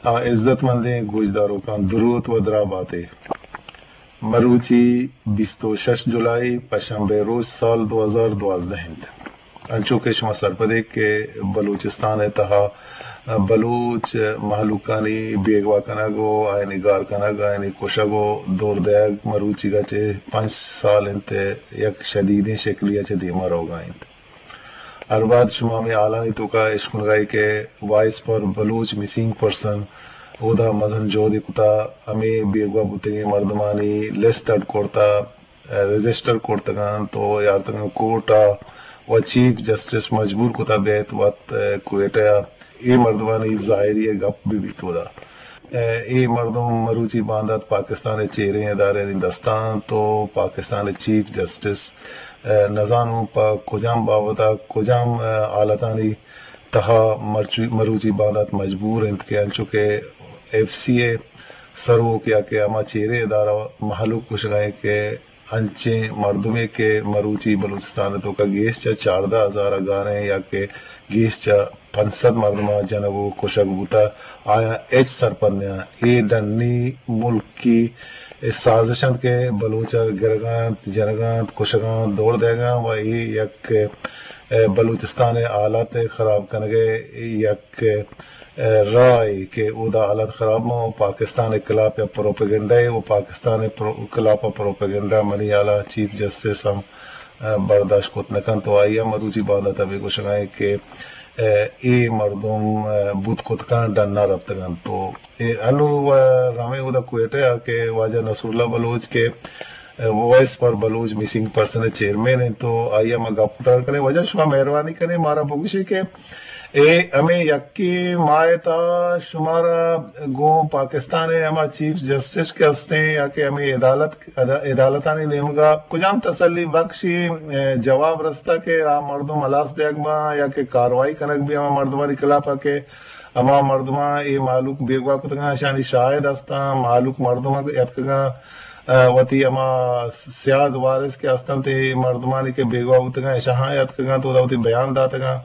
آ، عزت مندیں گوشداروکاں دروت و دراہ باتے۔ مروچی بیست و شش جولائی، پشنبے روچ، سال دو ہزار دوازدہ انت۔ انچو کہ شما سرپدے کہ بلوچستان ء تہا بلوچ مہلوکانی بیگواہ کنگ و آیانی گار کنگ، آیانی کشگ و دور دئیگ مروچیگا چہ پنچ سال انت، یک شدیدیں شکلی ء چہ دیما روگا انت۔ ہر وہد شما ہمے حالانی توکا اشکنگا ئے کہ وائس فار بلوچ مسنگ پرسن اودا مزن جہدے کتا، ہمے بیگواہ بوتگیں مردمانی لسٹ اڈ کرتا، رجسٹر کرتگاں تو یارتگاں کورٹ ء و چیف جسٹس مجبور کتا بیت وت کوئٹہ ء اے مردمانی ظاہری ء گپ بہ بیت اودا۔ اے مردم مروچی باندات پاکستان ء چیریں ادارہانی دستاں تو پاکستان ء چیف جسٹس نزانوں پہ کجام بابت ء کجام حالتانی تہا مرچو-، مروچی باندات مجبور انت کہ انچو کہ ایف سی ء سروک یا کہ ہما چیریں ادارہ مہلوک کشگا انت کہ انچیں مردمے کہ مروچی بلوچستان ء توکا گیش چہ چاردہ ہزار ء گاریں یا کہ گیش چہ پنچ سد مردم ء جنگ و کشگ بوتہ، آیاں ہچ سرپد نیاں۔ اے ڈنی ملکی سازش انت کہ بلوچ ء گرگا انت، جنگا انت، کشگا انت، دور دئیگا انت و اے یک، ء، بلوچستان ء حالات ء خراب کنگ ء یک راہے کہ اودا حالت خراب ماں و پاکستان ء خلاف ء پروپیگنڈا ء و پاکستان ء پرو-، خلاف ء پروپیگنڈا منی حالا چیف جسٹس ہم، ء، برداشت کت نہ کنت و آئی ء مروچی باندات ہمے گوشگا انت کہ، ء، اے مردم، ء، بوت کتکاں ڈنا رپتگ انت و اے انو و رمے اودا کوئٹہ ء کہ واجہ نصراللہ بلوچ کہ وائس فار بلوچ مسنگ پرسن ء چیئرمین انت تو آئی ء ما گپ تران کنیں۔ واجہ شما مہربانی کنیں مارا بگوشے کہ اے ہمے یکے ماہ ء تہا شمارا گوں پاکستان ء ہما چیف جسٹس کہ ہستیں یا کہ ہمے عدالت، عدا-، عدالتانی نیمگا کجام تسلی بخشی، اے، جواب رستہ کہ آ مردم ہلاس دیگ باں یا کہ کاروائی کنگ بی ہما مردمانی خلاف ء کہ ہما مردماں اے مہلوک بیگواہ کتگاں، اشانی شاہد ہستاں، مہلوک مردم یتکگاں، ء، وتی ہما سیاد وارث کہ ہستنت، اے مردمانی کہ بیگواہ بوتگاں، اشاں یتکگاں تو وتی بیان داتگاں۔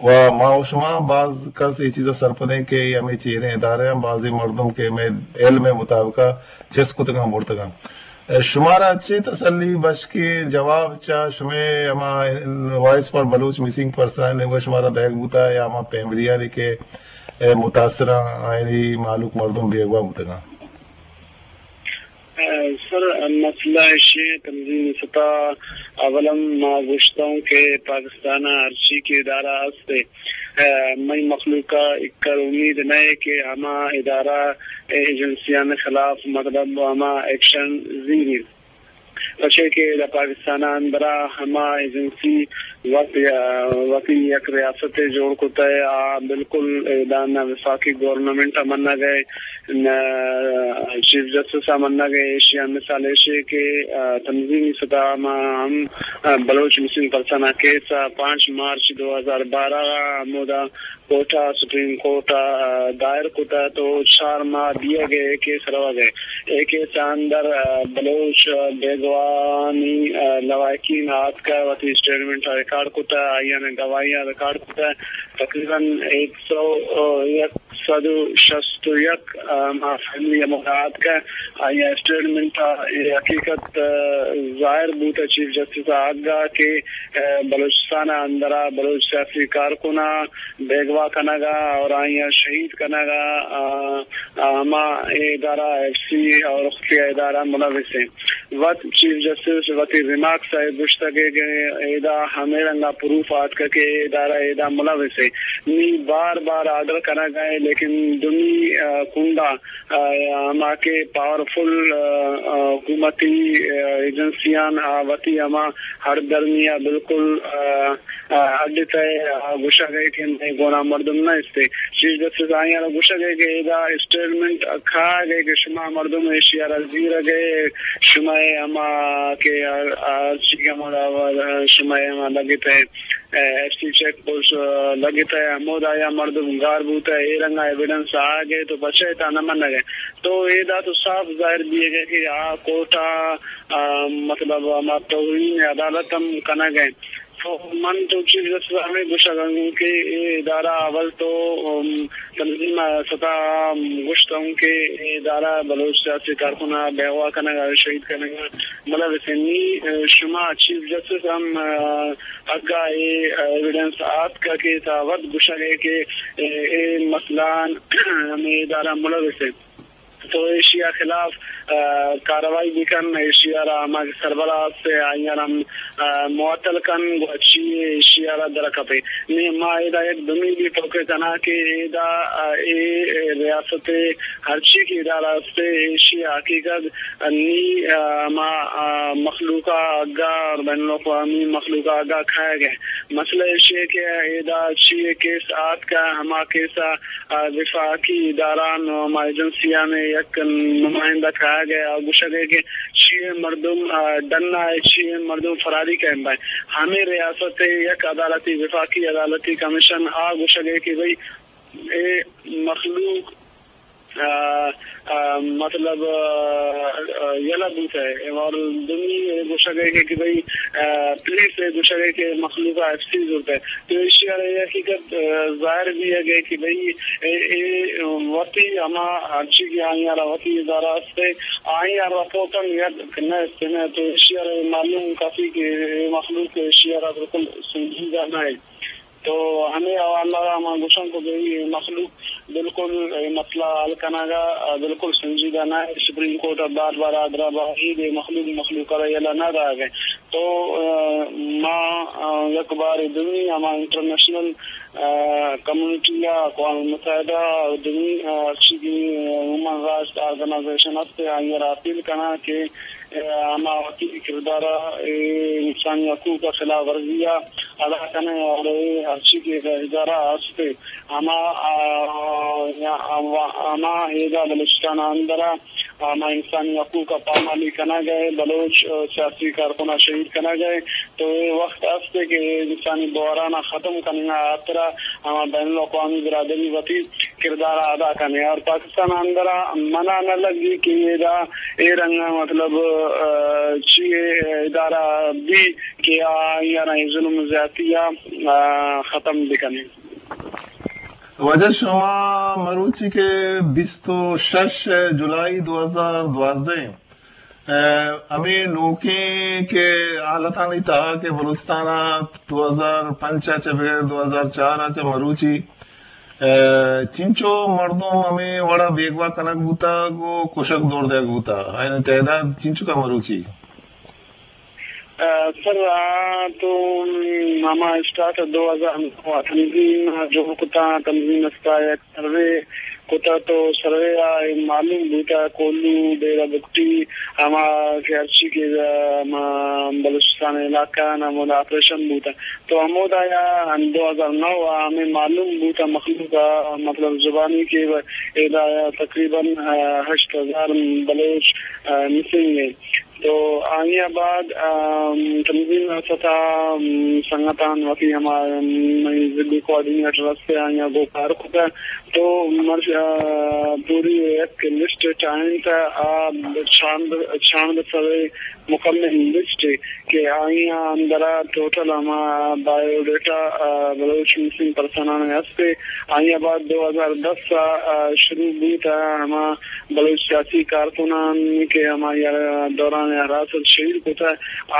و ما و شما باز کس اے چیزا سرپدیں کہ اے ہمے چیریں ادارے ہیں، بازیں مردم کہ مئے علم مطابقا چست کتگاں برتگاں۔ شمارا چے تسلی بشکیں جواب چہ شمئے ہما وائس فار بلوچ مسنگ پرسن ء نیمگا شمارا دئیگ بوتا یا ہما فیملیانی کہ متاثراں آیانی مہلوک مردم بیگواہ بوتگاں؟ سر، مسئلہ ایشی تنظیم ستا اولاً ما گوشتوں کہ پاکستان ہرچی کہ ادارہ است، مئی مخلوق ء اکر امید نہ کہ ہما ادارہ ایجنسیان خلاف مطلب ہما ایکشن زیری، پرچے کہ دا پاکستان اندرا ہما ایجنسی وت، وتی یک ریاست جوڑ کتہ، آ بالکل ادا نہ وفاقی گورنمنٹ منگ ء، نہ چیف جسٹس منگ ء۔ ایشی مثال ایشی کہ تنظیمی سطح ما ہم بلوچ مسنگ پرسن کیس پانچ مارچ دو ہزار بارہ ہمودا کوئٹہ سپریم کورٹ ء دائر کتہ تو چار ماہ دیگ ء اے کیس روگ ء۔ اے کیس ء اندر، ء، بلوچ بیگواہانی، ء، لواحقین آتکہ وتی اسٹیٹمنٹ ء ریکارڈ کتہ، آئی ء گواہیاں ریکارڈ کتہ۔ تقریباً ایک سو، ء، یک سد و شست و یک، ء، ما فیملی ہمودا آتکہ آئی ء اسٹیٹمنٹ ء اے حقیقت، ء، ظاہر بوتہ چیف جسٹس ء اگا کہ، ء، بلوچستان ء اندرا بلوچ سیاسی کارکناں بیگواہ کنگ ء اور آیاں شہید کنگ ء، آ، آ، ہما اے ادارہ ایف سی اور خفیہ ادارہ ملوث ہیں۔ وت چیف جسٹس وتی ریمارکس ء گوشتگ کہ ادا ہمے رنگا پروف آتکہ کہ اے ادارہ ادا ملوث ہیں۔ نی بار بار آرڈر کنگ ء لیکن دومی، آ، کنڈا، آ، ہما کہ پاورفل، آ، آ، حکومتی، آ، ایجنسیان آ وتی ہما ہر درمی ء بالکل، آ، ء اڈ تہ ء گوشگ ء کہ مئے گونا مردم نہ استے۔ چیف جسٹس آیاں را گوشگ ء کہ ادا اسٹیٹمنٹ کھاگ ء کہ شما مردم ایشی ء را زیرگ ء شما ء ہما کہ ہر، ہر چیز ہمودا شما ء ہما لگت ء ایف سی چیک پوسٹ لگت ء ہمودا یا مردم گار بوت ء اے رنگا ایویڈنس آگ ء تو پچے تا نہ منگ ء تو ادا تو صاف ظاہر بیگ ء کہ آ کورٹ ء، آ، مطلب ہما توہین عدالت ہم کنگ ء۔ تو من تو چیف جسٹس ءَ ہمے گوشگ ءَ آں کہ اے ادارہ اول تو، ام، تنظیم ءِ ستا گوشت اوں کہ اے ادارہ بلوچ سیاسی کارکن ءَ بیگواہ کنگ ءَ، شہید کنگ ءَ ملوث ایں۔ نی، ا، شما چیف جسٹس ہم، ا، اگاں اے ایویڈنس آتک کہ تا وت گوشگ ءَ کہ اے، اے مسئلہ ہمے ادارہ ملوث ایں۔ تو ایشی ءِ خلاف، ا، کارروائی بکن، ایشی ءَ را ہما کہ سربراہ است آئی ءَ را ہم، ا، معطل کن، گڑا چی ایشی ءَ را در کپے۔ نی ما ادا یک دمی بھی توکے کناں کہ ادا، ا، اے ریاست ءِ ہرچی کہ ادارہ است ایشی ءِ حقیقت نی، ا، ہما، ا، مخلوق ءَ اگاں اور بین الاقوامی مخلوق ءَ اگاں کھائے گئے۔ مسئلہ ایشی ہے کہ ادا چی کیس آتک ہما کیس ءَ ءَ وفاقی ادارہان و ہما ایجنسیان ءِ یک نمائندہ کاگ ءَ آ گوشگ ءَ کہ چی ءَ مردم، ءَ ڈن ءَ چی ءَ مردم فراری کئین بئے۔ ہمے ریاست ءِ یک عدالتی، وفاقی عدالتی کمیشن آ گوشگ ءَ کہ بھئی اے مخلوق، ءَ، ءَ، مطلب، ءَ، ءَ، یلہ بوتہ اور دومی گوشگ ءَ کہ، کہ بھئی، ءَ، پولیس ءَ گوشگ ءَ کہ مخلوق ءَ ایف سی زرتہ۔ تو ایشی ءَ را اے حقیقت، ءَ، ظاہر بیگ ءَ کہ بھئی اے، اے وتی ہما ہرچی کہ آئی ءَ را وتی ادارہ است، آئی ءَ رپورٹاں یاد نہ است نہ۔ تو ایشی ءَ را معلوم کافی کہ اے مخلوق ایشی ءَ را بالکل سنجیدہ نہ ہے۔ تو ہمے حوالہ ءَ ما گوشاں کہ بھئی اے مخلوق بالکل اے مسئلہ حل کنگ ءَ بالکل سنجیدہ نہ ہے۔ سپریم کورٹ ءَ بار بار آرڈر ءَ باید اے مخلوق، مخلوق ءَ را یلہ نہ دئیگ ءَ۔ تو، ءَ، ما، ءَ، یک بار دومی ہما انٹرنیشنل، ءَ، کمیونٹی ءَ، اقوام متحدہ ءَ، دومی، ءَ، ہرچی بھی ہیومن رائٹس آرگنائزیشن است، آئی ءَ را اپیل کناں کہ، ءَ، ہما وتی کردار ءَ، اے انسانی حقوق ءِ خلاف ورزی ءَ ادا کنیں اور اے ہرچی کہ ادارہ است، ہما، آ، یا، ہما، ہما ایدا بلوچستان ءِ اندر ءَ ہما انسانی حقوق ءِ پامالی کنگ ءَ، بلوچ، آ، سیاسی کارکن ءَ شہید کنگ ءَ، تو اے وخت است کہ اے انسانی بحران ءَ ختم کنگ ءِ ہاترا ہما بین الاقوامی برادری وتی کردار ءَ ادا کنیں۔ اور پاکستان ءِ اندر ءَ منا نہ لگی کہ ادا اے رنگ ءَ مطلب، آ، چی اے ادارہ بی کہ آ، آئی ءَ را اے ظلم زیاتی ءَ، آ، ختم بکنیں۔ واجہ شما مروچی کہ بیست و شش جولائی دو ہزار دوازدہ ءَ، ہمے نوکیں کہ حالتانی تہا کہ بلوچستان ءَ دو ہزار پنچ ءَ چہ بگر دو ہزار چار ءَ چہ مروچی، چنچو مردم ہمے وڑا بیگواہ کنگ بوتگ و کشگ دور دیگ بوتگ، آیانی تعداد چنچکا مروچی؟ ءَ، سر، آ، تو، م، ہما اسٹارٹ دو ہزار نو ءَ تنظیم جوڑ کتا، تنظیم استا یک سروے کتا تو سروے ءَ اے معلوم بوتا کوہلو، ڈیرہ بگٹی، ہما کہ ہرچی کہ، ءَ، ہما بلوچستان علاقہ نا ہمودا آپریشن بوتا تو ہمودا یا دو ہزار نو ءَ ہمیں معلوم بوتا مخلوق ءَ، مطلب زبانی کہ ایدا تقریباً، ءَ، ہشت ہزار بلوچ، ءَ، مسنگ ہیں۔ تو آئی ءَ بعد، ام، تنظیم ءِ ستا، ام، سنگتان وتی ہما، ام، مئی ضلعی کوآرڈینیٹر ہستے آئی ءَ گوں کار کتہ۔ تو مرچ، ا، پوری یک لسٹ ٹائم تہ آ چاند، چاند سوے مکمل لسٹ کہ آئی ءَ اندر ءَ ٹوٹل ہما بایو ڈیٹا، ا، بلوچ مسنگ پرسنان ہستے۔ آئی ءَ بعد دو ہزار دس ءَ، ا، شروع بوت ءَ ہما بلوچ سیاسی کارکنان کہ ہمائی ءَ دوران حراست شہید کتہ،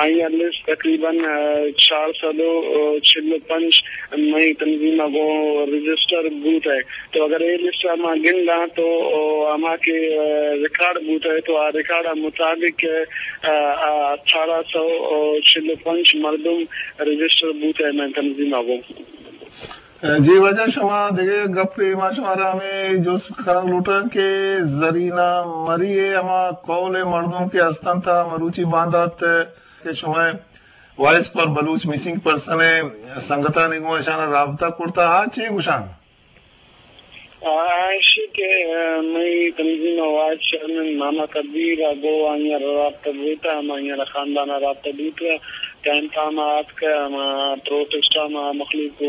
آئی ءِ لسٹ تقریباً، ءَ، چار سد و چل و پنچ مئی تنظیم ءَ گوں رجسٹر بوتہ۔ تو اگر اے لسٹ ءَ ما گنداں تو، ءَ، ہما کہ، ءَ، ریکارڈ بوتہ تو آ ریکارڈ ءِ مطابق، ءَ، ءَ، اٹھارہ سو و چل و پنچ مردم رجسٹر بوتہ مئے تنظیم ءَ گوں۔ جی واجہ، شما دگہ یک گپے ما شمارا ہمے جست کنگ لوٹاں کہ زرینہ مری ءِ ہما کہول ءِ مردم کہ ہستنت ءَ مروچی باندات کہ شما وائس پر بلوچ مسنگ پرسن ءِ سنگتانی گوں اشانا رابطہ کرتا، آ چے گوشاں؟ آ، ایشی کہ، آ، مئی تنظیم ءِ وائس چیئرمین محمد کبیر ءَ گوں آئی ءَ رابطہ بوتہ، ہما آئی ءَ خاندان ءَ رابطہ بوتہ، ٹائم تام ءَ آتکہ، ہما پروٹسٹ ءَ ہما مخلوق ءَ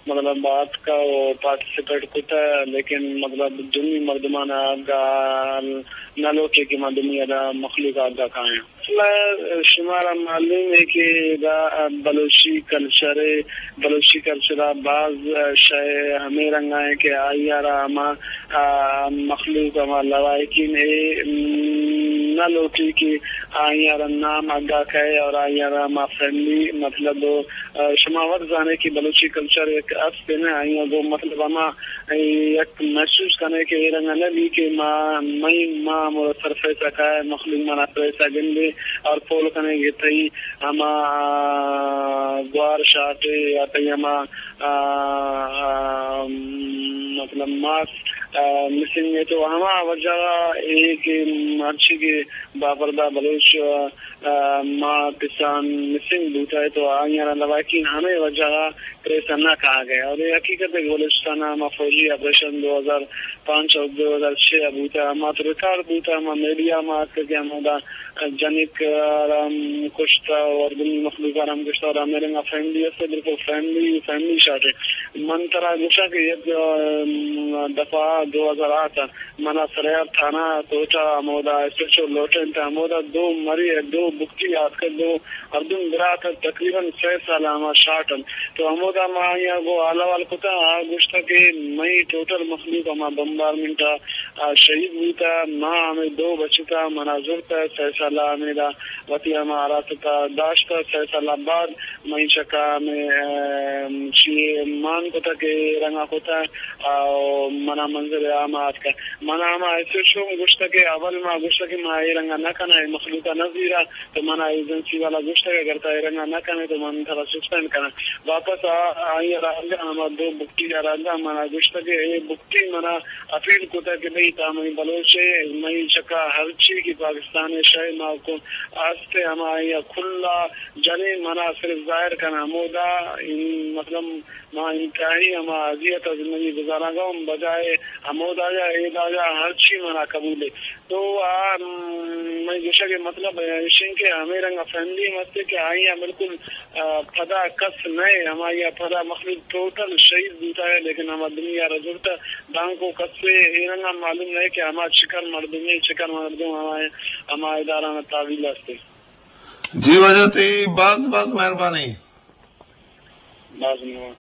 مطلب آتکہ و پارٹیسپیٹ کتہ، لیکن مطلب دومی مردمان ءَ گال نہ لوٹے کہ ما دومی ادا مخلوق ءَ اگا کایاں۔ شمارا معلوم ہے کہ ادا بلوچی کلچر ہے، بلوچی کلچر ءَ باز شے ہمے رنگ ءَ کہ آئی ءَ را ہما، آ، مخلوق، ہما لواحقین اے نہ لوٹی کہ آئی ءَ را نام اگا کئے اور آئی ءَ را ہما فیملی، مطلب، آ، شما وت زانے کہ بلوچی کلچر یک است نہ، آئی ءَ گوں مطلب ہما یک محسوس کنے کہ اے رنگ نہ بی کہ ما، مئی ما ہمودا سرفیس ءَ کائے، مخلوق منا سرفیس ءَ گندے اور پول کنے کہ تئی ہما، آ، گوار شاٹے یا تئی ہما، آ، آ، مطلب ماس، آ، مسنگ ہے۔ تو ہما وجہ اے کہ ہرچی کہ باپردہ بلوچ، آ، آ، ماں کسان مسنگ بوتہ تو آئی ءَ را لواحقین ہمے وجہ ءَ پریس ءَ نہ کاگ ءَ۔ اور اے حقیقت ہے کہ بلوچستان ءَ ہما فوجی آپریشن دو ہزار پانچ اور دو ہزار چھ ءَ بوتہ، ہما تو ریکارڈ بوتہ، ہما میڈیا ما اتکہ کہ ہمودا جنک ءَ را ہم کشتہ اور دنی مخلوق ءَ را ہم کشتہ اور ہمے رنگ ءَ فیملی است، بالکل فیملی، فیملی شاٹ ہے۔ من ترا گوشاں کہ یک، آ، دفعہ دو ہزار آٹھ ءَ منا سریاب تھانہ ءَ کوئٹہ ءَ ہمودا ایس ایچ او لوٹینت، ہمودا دو مری ءَ دو بگٹی آتکگ، دو ہردم برات ات، تقریباً سئے سال ءَ ہما شاٹ انت۔ تو ہمودا ما آئی ءَ گوں حال احوال کتہ، آ گوشتہ کہ مئی ٹوٹل مخلوق ہما بمبارمنٹ ءَ، آ، شہید بوتہ، ما ہمے دو بچتہ، منا زرتہ، سئے سال ءَ ہمیدا وتی ہما حراست ءَ داشتہ، سئے سال ءَ بعد مئی چکا ہمے، ام، چی مان کتہ کہ رنگا کتہ، آ، منا منزل عام آتکہ۔ منا ہما ایس ایچ او گوشتہ کہ اول ما گوشتہ کہ ما اے رنگا نہ کناں، اے مخلوق ءَ نہ زیراں، تو منا ایجنسی والا گوشتہ کہ اگر تا اے رنگا نہ کنے تو من ترا سسپینڈ کناں۔ واپس آ، آئی ءَ را انگا ہما دو بگٹی ءَ را انگا منا گوشتہ کہ اے بگٹی منا اپیل کتہ کہ بھئی تا مئی بلوچ ئے، مئی چکا ہرچی کہ پاکستان ءِ شے ما کو آستے ہما آئی ءَ کھلا جنیں، منا صرف ظاہر کن ہمودا، ان-، مطلب، ما انتہائی ہما اذیت ءَ زندگی گزارانگا ہم بجائے ہمودا یا ایداگا ہرچی منا قبول ہے۔ تو آ، م-، مئی گوشگ ءِ مطلب ایش انت کہ ہمے رنگ ءَ فیملی ہم است کہ آئی ءَ بالکل، آ، پدا کس نئے، ہمائی ءَ پدا مخلوق ٹوٹل شہید بوتا ہے، لیکن ہما دنیا را زرتا دانکو کسے اے رنگ ءَ معلوم نئے کہ ہما چکر مردمے، چکر مردم ہما، ہما ادارہ نا تعویل است۔ جی واجہ تئی باز باز مہربانی۔ باز مہربانی۔